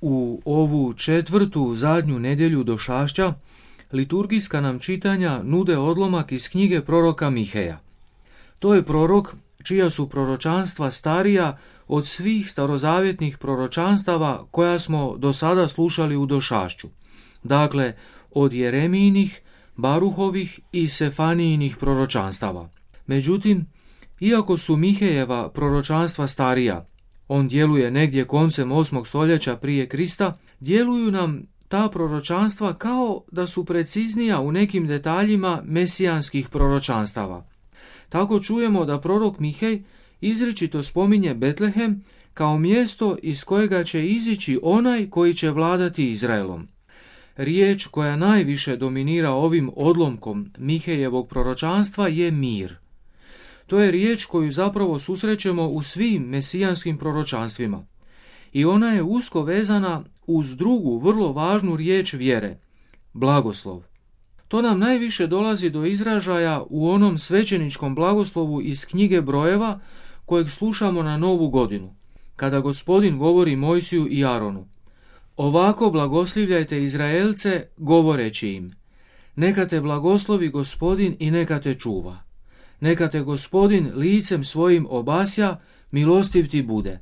U ovu četvrtu zadnju nedjelju došašća liturgijska nam čitanja nude odlomak iz knjige proroka Miheja. To je prorok čija su proročanstva starija od svih starozavjetnih proročanstava koja smo do sada slušali u došašću. Dakle, od Jeremijinih, Baruhovih i Sefanijinih proročanstava. Međutim, iako su Mihejeva proročanstva starija, on djeluje negdje koncem 8. stoljeća prije Krista, djeluju nam ta proročanstva kao da su preciznija u nekim detaljima mesijanskih proročanstava. Tako čujemo da prorok Mihej izričito spominje Betlehem kao mjesto iz kojega će izići onaj koji će vladati Izraelom. Riječ koja najviše dominira ovim odlomkom Mihejevog proročanstva je mir. To je riječ koju zapravo susrećemo u svim mesijanskim proročanstvima. I ona je usko vezana uz drugu vrlo važnu riječ vjere, blagoslov. To nam najviše dolazi do izražaja u onom svećeničkom blagoslovu iz knjige Brojeva kojeg slušamo na Novu godinu, kada Gospodin govori Mojsiju i Aronu. Ovako blagoslivljajte Izraelce govoreći im, neka te blagoslovi Gospodin i neka te čuva. Neka te Gospodin licem svojim obasja, milostiv ti bude.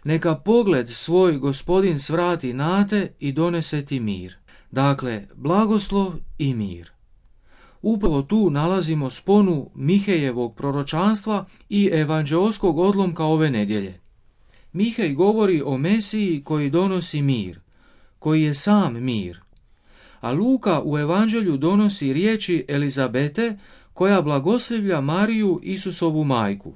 Neka pogled svoj Gospodin svrati na te i donese ti mir. Dakle, blagoslov i mir. Upravo tu nalazimo sponu Mihejevog proročanstva i evanđeoskog odlomka ove nedjelje. Mihej govori o Mesiji koji donosi mir, koji je sam mir. A Luka u evanđelju donosi riječi Elizabete koja blagoslivlja Mariju, Isusovu majku.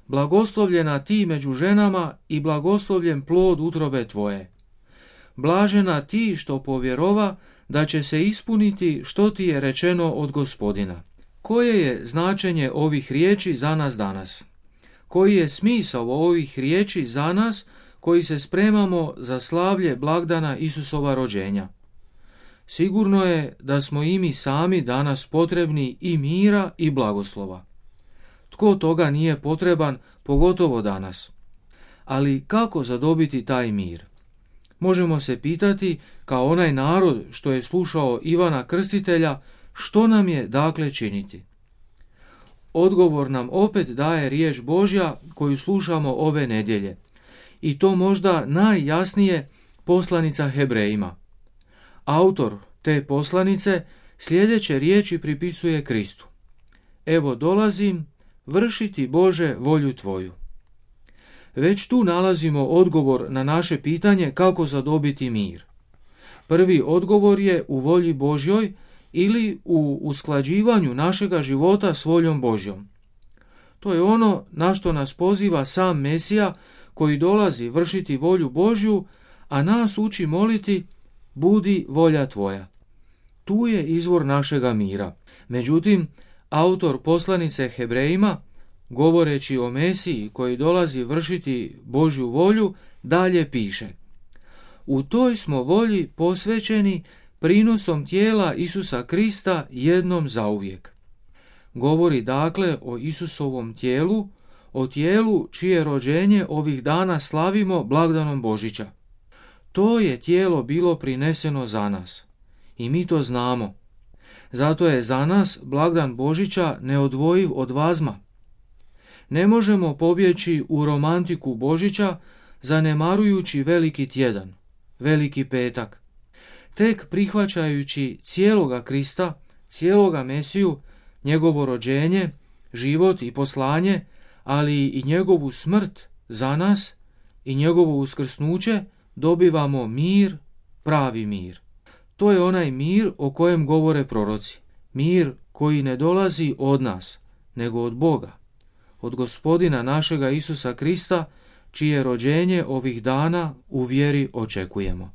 Blagoslovljena ti među ženama i blagoslovljen plod utrobe tvoje. Blažena ti što povjerova da će se ispuniti što ti je rečeno od Gospodina. Koje je značenje ovih riječi za nas danas? Koji je smisao ovih riječi za nas koji se spremamo za slavlje blagdana Isusova rođenja? Sigurno je da smo i mi sami danas potrebni i mira i blagoslova. Tko toga nije potreban, pogotovo danas? Ali kako zadobiti taj mir? Možemo se pitati, kao onaj narod što je slušao Ivana Krstitelja, što nam je dakle činiti? Odgovor nam opet daje riječ Božja koju slušamo ove nedjelje. I to možda najjasnije poslanica Hebrejima. Autor te poslanice sljedeće riječi pripisuje Kristu. Evo dolazim, vršiti Bože volju tvoju. Već tu nalazimo odgovor na naše pitanje kako zadobiti mir. Prvi odgovor je u volji Božjoj ili u usklađivanju našega života s voljom Božjom. To je ono na što nas poziva sam Mesija koji dolazi vršiti volju Božju, a nas uči moliti budi volja tvoja. Tu je izvor našega mira. Međutim, autor poslanice Hebrejima, govoreći o Mesiji koji dolazi vršiti Božju volju, dalje piše: u toj smo volji posvećeni prinosom tijela Isusa Krista jednom zauvijek. Govori dakle o Isusovom tijelu, o tijelu čije rođenje ovih dana slavimo blagdanom Božića. To je tijelo bilo prineseno za nas i mi to znamo. Zato je za nas blagdan Božića neodvojiv od vazma. Ne možemo pobjeći u romantiku Božića zanemarujući veliki tjedan, veliki petak. Tek prihvaćajući cijeloga Krista, cijeloga Mesiju, njegovo rođenje, život i poslanje, ali i njegovu smrt za nas i njegovo uskrsnuće, dobivamo mir, pravi mir. To je onaj mir o kojem govore proroci. Mir koji ne dolazi od nas, nego od Boga, od Gospodina našega Isusa Krista, čije rođenje ovih dana u vjeri očekujemo.